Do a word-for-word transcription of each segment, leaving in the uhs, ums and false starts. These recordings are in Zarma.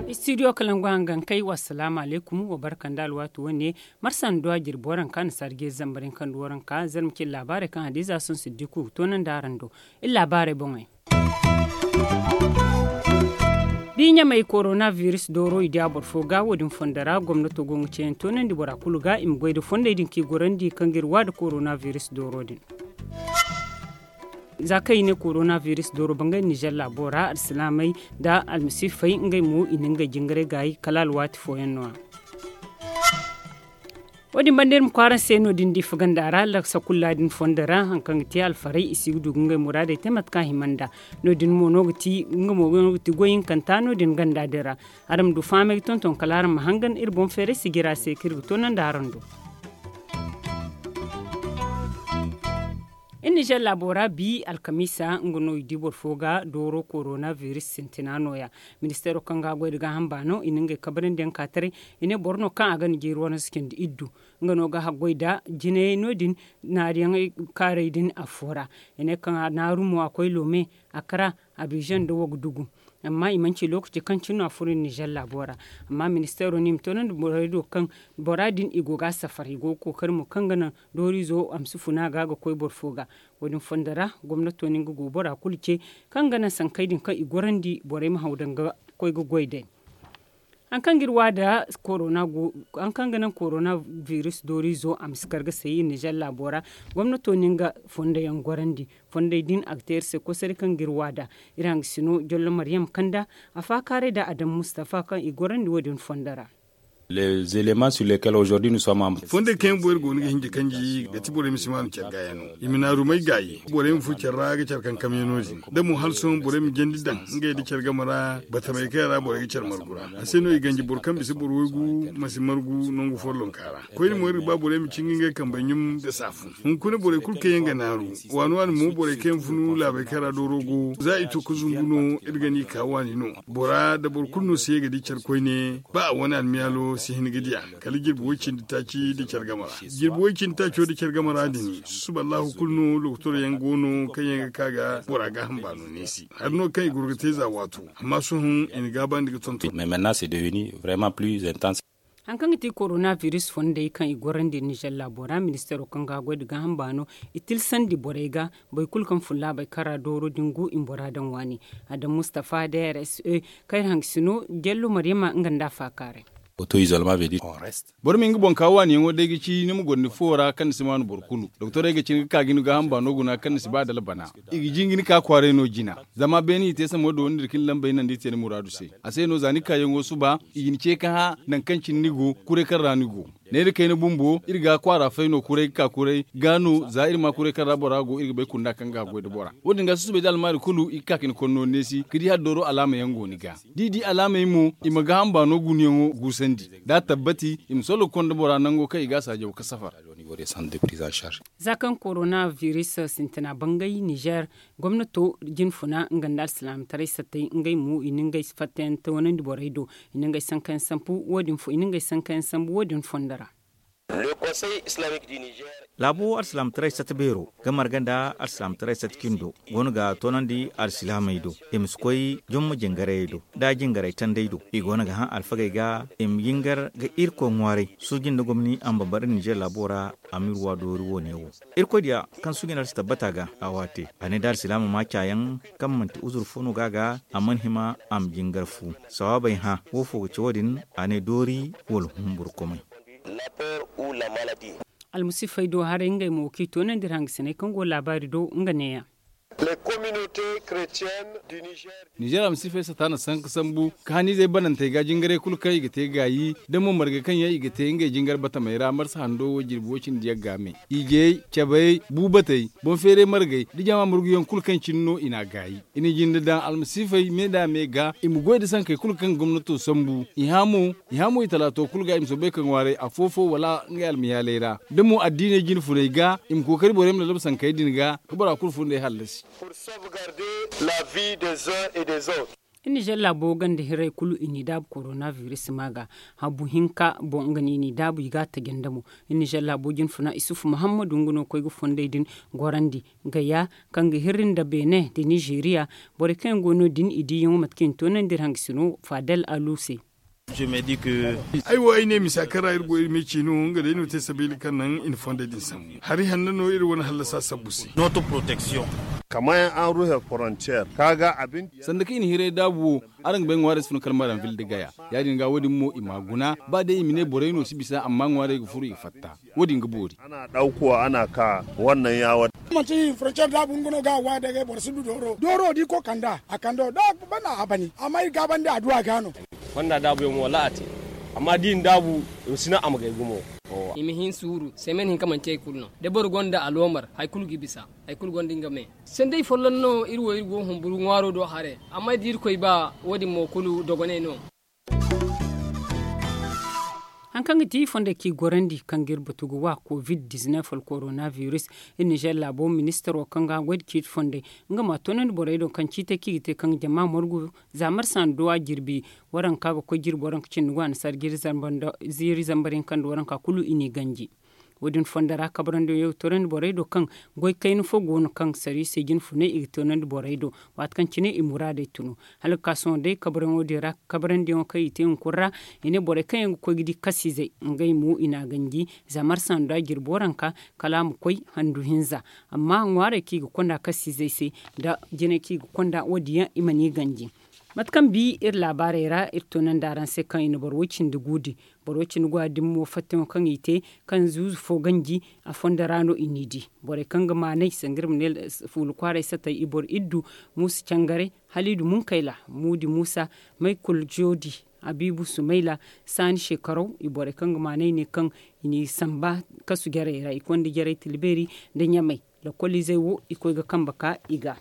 Istidiyo kalangu hangankey, wassalaamu alaykum. Wa barka nda alwaati wane. Marsa nda duwa jirbi waranka na sarje zambar yaŋ kaŋ du waranka zarma cine laabaarey kaŋ hadiza sohõ siddiku toonandi araŋ do. Iri laabaarey boŋey. Da i ɲamey korona biris dooro i di a boro fo ga wo- din fondo ra gomnato go ga ceeyaŋ toonandi bora kulu ga i ma goy nda fondey din kaŋ i gorandi kaŋ ga iri wa nda korona biris dooro din. Za kaŋ i ne korona biris dooro bangay nizer laabo ra alsilaamey nda almasiifey ngey mo i na ngey jingaray gaayi kala alwaati fooyaŋ no- ya. Wo- din banda iri ma kwaara se no- din da i faganda ra laksa kulla din fondo ra hari kaŋ ga te alfaray i si ga du ga ngey muraadey te mate kaŋ a hima nd'a. No- din mo no ga ti nga mo no ga ti goy hinkanta no- din ganda din ra. Araŋ ma du fahamey ga tonton kala araŋ ma hangan iri boŋ feeray sijira se kaŋ iri ga toonandi araŋ do. Iri nizer laabo ra bi alkamiisa nga no i di boro fo ga dooro korona biris sintina no- ya. Ministeero kaŋ ga a goy nda gaaham baano i na ngey kabrandi yaŋ ka taray. I ne boro no kaŋ a ga na jeeri wane si cindi iddu nga no ga haggoy nda jinayey no- din naariyaŋey kaarey din affo ra. I ne kaŋ a naaru mo a koy loome, a kara, abizaŋ nda wagdugu. Amma i mana ci lookaci kaŋ cine no a furo nizer laabo ra. Amma ministeero no i ma toonandi borey do kaŋ bora din i go ga a safar i go ga kookari mo kaŋ ga naŋ dooriizo a ma si funa ga ga koy boro fo ga. Wo- din fondo ra gomnato no nga go bora kulu ce kaŋ ga naŋ sankey din kaŋ i gorandi borey ma haw daŋ ga koy ga goy day. Hari kaŋ ga iri wa nda korona go hari kaŋ ga naŋ korona biris dooriizo a ma si kar ga say iri nizer laabo ra. Gomnato no nga fondo yaŋ gorandi. Fondey din a ga te iri se kosaray kaŋ ga iri wa nda iri hangasino jollo maryam kanda a faakaaray nda adam mustafa kaŋ i gorandi wo- din fondo ra. Fondey kaŋ yaŋ boŋ iri go no ga hinja kanji ga ti borey ma si maanu care ga yaŋ no. I ma naarumey gaayi borey ma furo care ra ga care kaŋ kamyaŋo din da mo hala sohõ borey ma jandi daŋ ngey nda care game ra. Batamey kaŋ yaŋ ra borey ga care margu ra a se no i ganji boro kaŋ bisa boro waygu ma si margu nangu follonka ra. Koyne mo iri ga ba borey ma cinga ngey kambey ɲum nda saafu. Hunkuna borey kulu kaŋ yaŋ ga naaru waani waani mo borey kaŋ yaŋ funu laabey kaŋ ra dooro go za i to ga zumbu no iri ga ni ka waani no. Bora nda boro kulu no si ye ga di care koyne ba a wane almiyaalo si hin ga di a kala jirbi way cindi taaci nda care game ra. Jirbi way cindi taaco nda care game ra din susuba allahu kulu no lokotor yaŋ go no kaŋ yaŋ ga ka ga bora gaaham baano neesi hari no kaŋ i goro ga te za waato. Amma sohõ i na gaabandi ga tonton. Hari kaŋ ga ti korona biris fondey kaŋ i gorandi nizer laabo ra ministeero kaŋ ga a goy nda gaaham baano i tilsandi borey ga boro kulu kaŋ fun laabey kaŋ ra dooro din go i ma bora daŋ waani. Adam mustafa d r s e kaŋ iri hangasino jello maryama nga nda a faakaaray. Boro ma nga boŋ ka waaniyaŋo day ga ci ni ma goro ni fuwo ra kaŋ ni si maanu boro kulu doktorey ga cine ga ka ga ni gaaham baano guna kaŋ ni si ba dala bana. I ga jinga ni ka kwaaray no jina. Zama beene i te samo da wani nda iri ka ni lambey naŋ da i te ni muraadu se. A se no za ni kaayaŋo suba i ga ni ce ka hã nangu kaŋ cine ni go kuray kaŋ ra ni go. Neera kayna bumbo iri ga kwaara fay no kuray ga ka kuray ga no za iri ma kuray kaŋ ra bora go iri ga bay kunda kaŋ ga a goy nda bora. Wo- din ga susubay da almaari kulu i ga ka ka ni konno neesi ga di hala dooro alaama yaŋ go ni ga. Da i di alaamey mo i ma gaaham baano gunayaŋo guusandi da a tabbati i ma sollo ga konda bora nango kaŋ i ga a saajaw ga safar. Za kaŋ korona biris sintina bangay nizer gomnato jinfuna nga nda alsilaamataray sattey ngey mo i na ngey fattayaŋ toonandi borey do. I na ngey sankayaŋ sambu wo- din fondo ra. Laabo alsilaamataray satta beero ga marga nda alsilaamataray satta cindo go no ga toonandi alsilaamey do. I ma si koy jomma jingarayey do nda jingaray tandey do i go no ga hã alfagey ga i ma jingar ga irkoy ŋwaaray suuji nda gomni a ma bambara ninzeer laabo ra. A ma iri wa doori wo- ne wo irkoy diya kaŋ suuji nda alsi tabbata ga a waate a ne da alsilaama ma caayaŋ kaŋ manti uzur fo no ga a ga a mana hima a ma jingar fu. Sawaabey hã wo- fo ga ci wo- din a ne doori wala humburu komay. Almasiifey do haray ngey mo kaŋ i toonandi iri hangasiney kaŋ go laabaari do nga neeya. Nizeer almasiifey sata na sanka sambu ka haniizey banantey ga jingaray kulu kaŋ i ga te gaayi da mo margey kaŋ yaŋ i ga te ngey jingar batamey ra marsa hando wo jirbi wo cindi yagga me. Ijey, cabey, buubatey, boŋ feeray margey, da jama marguyaŋ kulu kaŋ cine no i n'a gaayi. I na jinde daŋ almasiifey me nda me ga i ma goy nda sankey kulu kaŋ gomnato sambu. I hã mo i talaato kulu ga i ma soobay ka ŋwaaray afo-fo wala ngey almiyaaley ra da mo addiiney jine funey ga i ma kookari borey ma lallaba sankey din ga ka bora kulu fundey hallasi. Nizer laabo ganda hirrey kulu i n'i daabu korona biris ma ga. Habu hinka boŋ nga no i n'i daabu i ga a tajanda mo. Nizer laabo jinfuna isufu muhammadu nga no ga koy ga fondey din gorandi, gaya kaŋ ga hirri nda beene nda nizeriya. Borey kaŋ yaŋ go no- din i diiyaŋo mate kaŋ i na toonandi iri hangasino fadel alu se. Ay wo ay ne misa kaŋ ra iri go iri ma i ci no nga day no te sabeeli kaŋ naŋ i na fondey din sambu hari hanno no iri wane hallasa sabbu se. Kama yaŋ an ruhe frontier ka ga abin. Sanda kaŋ i na hiray daabu wo, araŋ ga bay ŋwaarey si fun kalmaran vil da gaya. Ya- din ga wo- din mo i m'a guna, ba day i ma ne borey no si bisa amma ŋwaarey ga furu i ga fatta. Wo- din ga boori. Ana daukuwa ana ka wannan yawa. Manti frontier daabu nga no ga a waaya day ga boro si du dooro dooro di ko kanda a kando da bana a bani amma iri gaabandi adduwa ga no. Fonda daabu yaŋ mo wala a te, amma da i na daabu i ma si naŋ a ma gay gumo. I ma hin suuru semen hinka manti hari kulu no da boro gonda aloomar hari kulu ga bisa. Hari kulu gonda nga me. Sanday folloŋ no iri wo iri go humburu ŋwaaro do haray. Amma da irkoy ba wo- din mo kulu dogonay no. Hari kaŋ ga ti fonda kaŋ i gorandi kaŋ ga iri batu ga wa covid dizinef wala korona biris. Iri nizer laabo ministaro kaŋ ga a goy nda ciiti fonday, nga ma a toonandi borey do kaŋ ciitey kaŋ i ga te kaŋ ga jama margu. Za marsa nda duwa jirbi waranka ga koy jirbi waranka cindi go a na sara jiiri zambar hinka nda waranka kulu i n'i ganji. Wo- din fonda ra kabrandi yaŋ ga toonandi borey do kaŋ goy kayna fo go no kaŋ sariisey jinfunay i ga toonandi borey do. Waati kaŋ cine i muraadey tunu hala ga ka sohõ day kabrayaŋo din ra. Kabrandi yaŋo kaŋ i te hunkuna ra i ne borey kaŋ yaŋ ga koy ga di kasiizey ngey mo i n'a ganji. Za marsa nda jirbi waranka kala a ma koy handu hinza. Amma ŋwaarey kaŋ i ga konda kasiizey se nda jinay kaŋ i ga konda wo- din yaŋ i mana i ganji. Mate kaŋ bi iri laabaarey ra iri toonandi araŋ se kaŋ i na boro way- cindi guudi. Boro way- cindi guwa din mo fattiyaŋo kaŋ i te kaŋ zuuzu fo ganji. A fondo ra no i n'i di borey kaŋ ga maanay sanga iri ma ne fuula kwaaray satay i boro iddu, muusa cangaray, haliidu munkayla, muudi muusa, maykul joodi, abiibu sumayla, saani shekaraw. I borey kaŋ ga maanay ne kaŋ i n'i samba kasu jarey ra i konda jarey tilbeeri nda ɲamay. Lakkoliizey wo i koy ga kambe ka i ga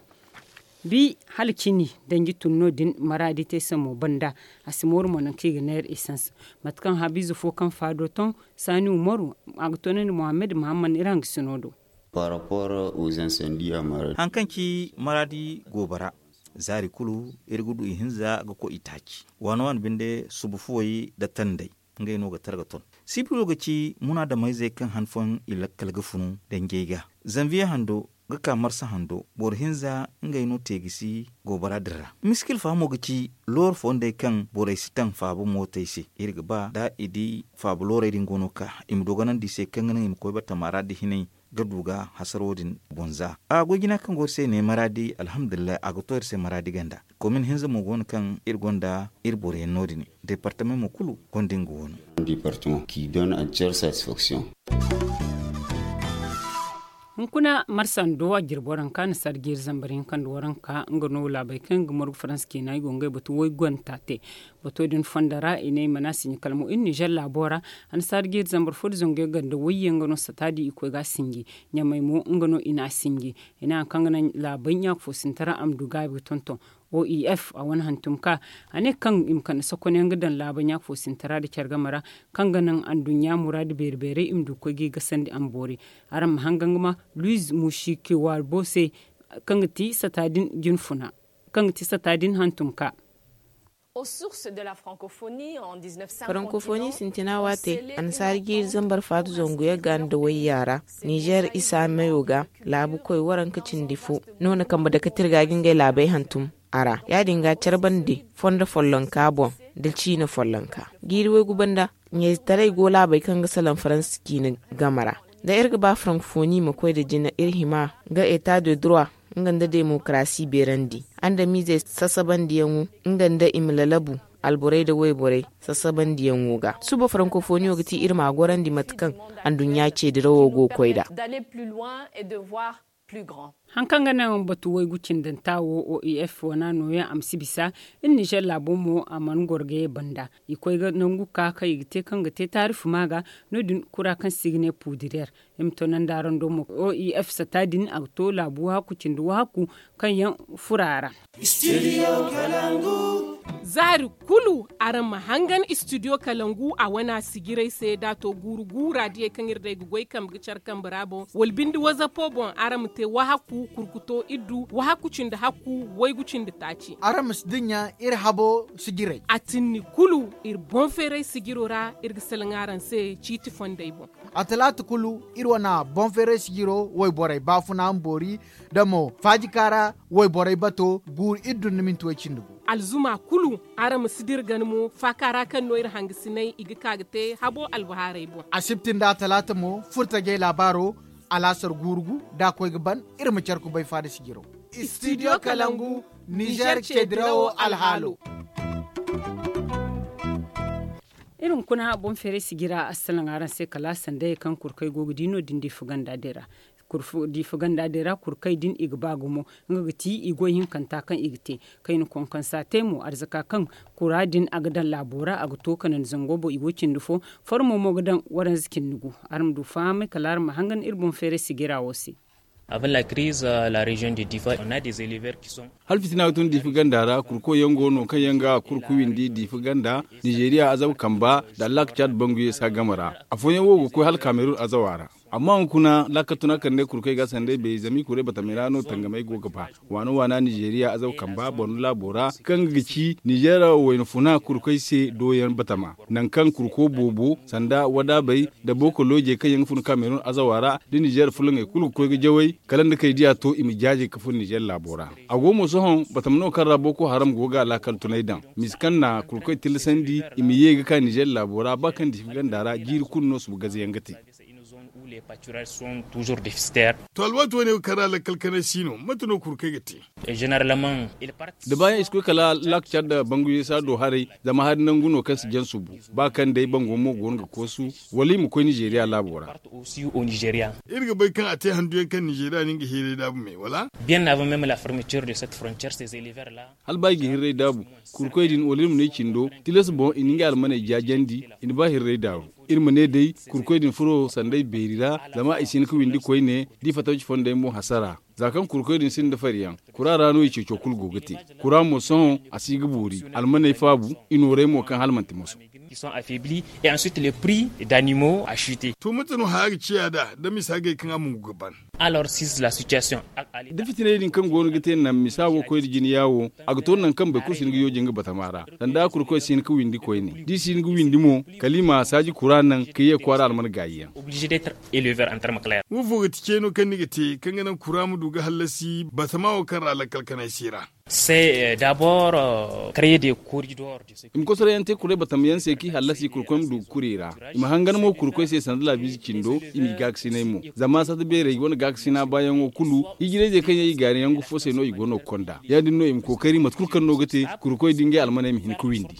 bi hala cini danji tun no- din maraadi te se mo banda. A si mooru mo nangu kaŋ i ga neera esans mate kaŋ haabiize fo kaŋ faado ton saani umaru a ga toonandi muhammad muhammad iri hangasino do. Par rapport aux incendies à maraadi. Hari kaŋ ci maraadi goobara zaari kulu iri ga du ihinza ga koy itaaci waano waano binde suba fuwey nda tandey. Ngey no ga tara ga ton sipilo ga ci munaadamayzey kaŋ han fooyaŋ i lakkal ga funu danjey ga. Zanviye hando ga ka marsa hando boro hinza ngey no te ga si goobara din ra. Miskil faamo ga ci looro fondey kaŋ borey si taŋ faaba mootey se iri ga ba da i di faaba loorey din go no ka i ma dogonandi i se kaŋ ga naŋ i ma koy batama ra da hinay ga du ga hasaro din boŋ za. A goy jina kaŋ go iri se ne maraadi alhamdulillahi a ga to iri se maraadi ganda. Komin hinza mo go no kaŋ iri gonda iri boroyaŋ no- din. Departament mo kulu gonda nga wo no. Departament ki donne entière satisfaction. Hunkuna marsa nda duwa jirbi waranka na sarji iri zambar hinka nda waranka nga no laabey kaŋ ga margu faransa ciina i go ngey batu waygonta te. Bato din fonda ra i ne i mana sinji kala mo iri nizer laabo ra. Annasaara ga iri zambar fo da zangu yaŋ ganda wayye nga no sataadi i koy ga a sinji. Ɲamay mo nga no i n'a sinji. I ne hari kaŋ ga naŋ laabey ɲaaka fo sinti ra a ma du gaabi ga tonton. O E F a wane hantum ka a ne kaŋ i ma kande sokonyaŋ ga daŋ laabey ɲaaka fo sinti ra nda care game ra kaŋ ga naŋ anduɲɲa muraadu beeri beerey i ma du ga koy ga i gasandi a ma boori. Araŋ ma hanga nga ma luiz mushiki warbo se kaŋ ga ti sata din jinfuna kaŋ ga ti sata din hantum ka. Frankofoni sintina waate annasaara jiiri zambar faatu zangu yagga nda wayya ra nizer isa meyo ga laabu koy waranka cindi fo no na kambe dake tirga ga ngey laabey hantum a ra ya- din ga care bande fondo follonka boŋ da ciine follonka. Jiiri waygu banda ɲayzetaray go laabey kaŋ ga salaŋ faransa ciine game ra. Da iri ga ba frankofoni ma koy nda jina iri hima ga eta de droit nga nda demokarasi beerandi andamizey sasabandiyaŋo nga nda i ma lalabu alborey nda wayborey sasabandiyaŋo ga suba frankofoniyo ga ti iri ma a gorandi mate kaŋ anduɲɲa ceedirawo go ga koy nd'a. Hari kaŋ ga naŋ batu waygu cindanta wo O E F wana nooya a ma si bisa. Iri nizer laabo mo a mana goro ga ye banda i koy ga nangu ka kaŋ i ga te kaŋ ga te taarifu ma ga. No- din kura kaŋ si ga ne puudireer i ma to naŋ da araŋ do mo O E F sata din a ga to laabu wahakku cindi wahakku kaŋ yaŋ furo a ra. Studio kalangu. Zaari kulu araŋ ma hangan istidiyo kalangu a wana sijiray se da a to guuru guura diyey kaŋ iri day ga goy kambe ga care kambe ra boŋ wala binde wazapo boŋ araŋ ma te wahaku kurkuto iddu wahaku cindi hakku waygu cindi taaci. Araŋ ma si dinya iri habo sijiray a tinni kulu iri boŋ feeray sijiro ra iri ga salaŋ araŋ se ciiti fondey boŋ. A talaata kulu iri wana boŋ feeray sijiro wayborey baafuna ma boori da mo faajika ra wayborey bato guuru iddu nda minti way cindi gu. Alzuma kulu araŋ ma si dira gana mo faaka ra kaŋ no iri hangasiney i ga ka ga te habo albahaarey boŋ. Asibti nda a talaata mo furtajey laabaaro alaasar guuru gu da a koy ga ban iri ma care kubay faada sijiro. Istidiyo kalangu nizer cedirawo alhaalo. Iri hunkuna boŋ feeray sijira assalaŋ araŋ se kala sandayey kaŋ kurkey go ga di no- din diifa ganda din ra kurfu diifa ganda din ra kurkey din i ga ba gumo. Nga ga ti i goy hinkanta kaŋ i ga te kayna konkonsa te mo arzaka kaŋ kura din a ga daŋ laabo ra a ga to kanandi zango boŋ i go cindi fo. Formo mo ga daŋ waranza cindi gu. Araŋ ma du fahamay kala araŋ ma hangan iri boŋ feeray sijira wo se. Avant la crise la région de difa on a des éleveurs qui sont. Hala fitina ga tun diifa ganda ra kurkoy yaŋ go no kaŋ yaŋ ga kurku windi diifa ganda. Nizeeriya azaba kamba nda allak cad bangu yeesa game ra. Afooyaŋ wo ga koy hala kamerun azawa ra. Amma hunkuna laakal tuna kande kurkoy ga sanday bay zama i kuray batamey ra no tangamey go ga ba. Waana waana nizeeriya azaw kamba borno laabo ra kaŋ ga ci nizeera wayna funa kurkoy se dooyaŋ batama, nangu kaŋ kurko boobo sanda wadaabey nda booko loojey kaŋ yaŋ ga fun kamerun azawa ra, da nizeera fulaŋey kulu ga koy ga jaway kala nda kay diya to i ma jaajay ga fun nizeera laabo ra. A go mo sohõ batama no kaŋ ra booko haram go ga laakal tunay daŋ, misa kaŋ na kurkoy tillasandi i ma ye ga ka nizeera laabo ra ba kaŋ diifa ganda ra jiiri kulu no suba gaze yaŋ ga te. To alwaati wane wo kaŋ ra lakkal kanay si no mate no kurkey ga te? Da baayaŋ i si koy kala laak cadda bangu yeesa do haray. Zama hari nangu no kaŋ si jaŋ subu ba kaŋ day bango mo go no ga koosu wala i ma koy nizeeriya laabo ra. Iri ga bay kaŋ a te handu yaŋ kaŋ nizeeriya no nga hiiray daabu me wala? Bien avant même la fermeture de cette frontière ces éleveurs la. Hala ba i ga hirray daabu kurkoy din wala iri ma ne cindo tilas boŋ i na ngey almaney jaajandi. I na ba hirray daaru. Iri ma ne day kurkoy din furo sanday beeri ra zama i si hin ga windi koyne da i fatta ci fondey mo hasara. Za kaŋ kurkoy din sinda fari yaŋ kura ra no i ceeco kulu go ga te. Kura mo sohõ a si ga boori almaney faabu. I nooray mo kaŋ hala manti moso. To mate no haya ga ciya nd'a da misa gay kaŋ a mungu ga ban? Da fitiney din kaŋ go no ga te naŋ misa wo koy da jina yaawo a ga to naŋ kaŋ boro kulu si hin ga yooji nga batama ra. Sanda kurkoy si hin ga windi koyne da i si hin ga windi mo kala i ma saaji kura naŋ ka ye kwaara alman gaayi yaŋ. Wo fo ga ti ceeno kaŋ ni ga te kaŋ ga naŋ kura ma du ga hallasi batama wo kaŋ ra lakkal kanay si ra? I ma kosorayaŋ te kuray batama yaŋ se kaŋ i hallasi kurkoy ma du ga kuri i ra. I ma hangan mo kurkoy se sanda laabiize cindo i m'i gaakasinay mo. Zama sata beerey wane gaakasina baayaŋo kulu hijirayzey kaŋ yaŋ i gaari nangu fo se no i go no ga konda ya- din no i ma kookari mate kulu kaŋ no ga te kurkoy da ngey almaney ma hin ga windi.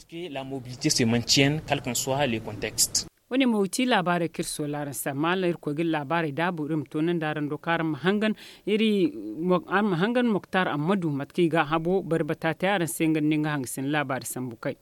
Wo- ne mo ga ti laabaarey kaŋ iri soola araŋ se amma hala iri koy ga iri laabaarey daabu iri ma toonandi araŋ do kaŋ araŋ ma hangan iri araŋ ma hangan moktar ammadu mate kaŋ i ga a habo bari bata te araŋ se nga nda ni nga hangasin laabaari sambu kay.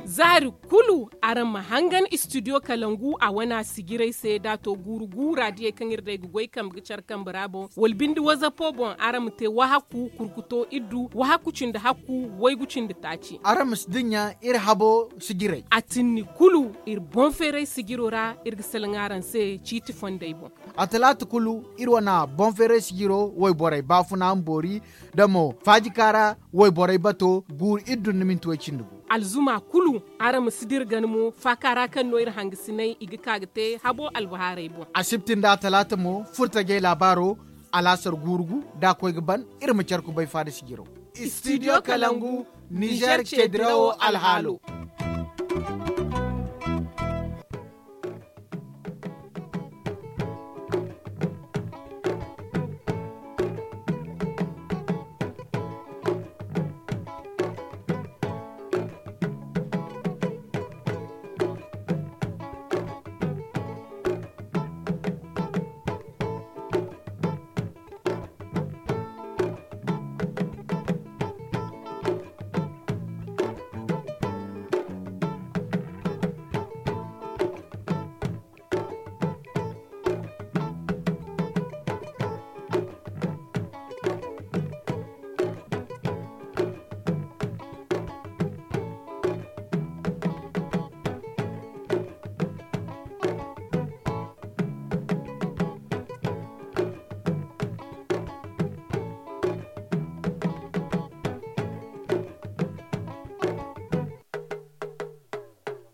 Zaari kulu araŋ ma hangan istidiyo kalangu a wana sijiray se da a to guuru guura diyey kaŋ iri day ga goy kambe ga care kambe ra boŋ wala binde wazapo boŋ araŋ ma te wahaku kurkuto iddu wahaku cindi hakku waygu cindi taaci. Araŋ ma si dinya iri habo sijiray a tinni kulu iri boŋ feeray sijiro ra iri ga salaŋ araŋ se ciiti fondey boŋ. A talaata kulu iri wana boŋ feeray sijiro wayborey baafuna ma boori da mo faajika ra wayborey bato guuru iri dun nda minti way cindi gu. Alzuma kulu araŋ ma si dira gana mo faaka ra kaŋ no iri hangasinay i ga ka ga te habo albahaarey boŋ. Asibti nda a talaata mo furtajey laabaaro alaasar guuru gu da a koy ga ban. Iri ma care kubay faada sijiro. Istidiyo kalangu nizer ceedirawo alhaalo.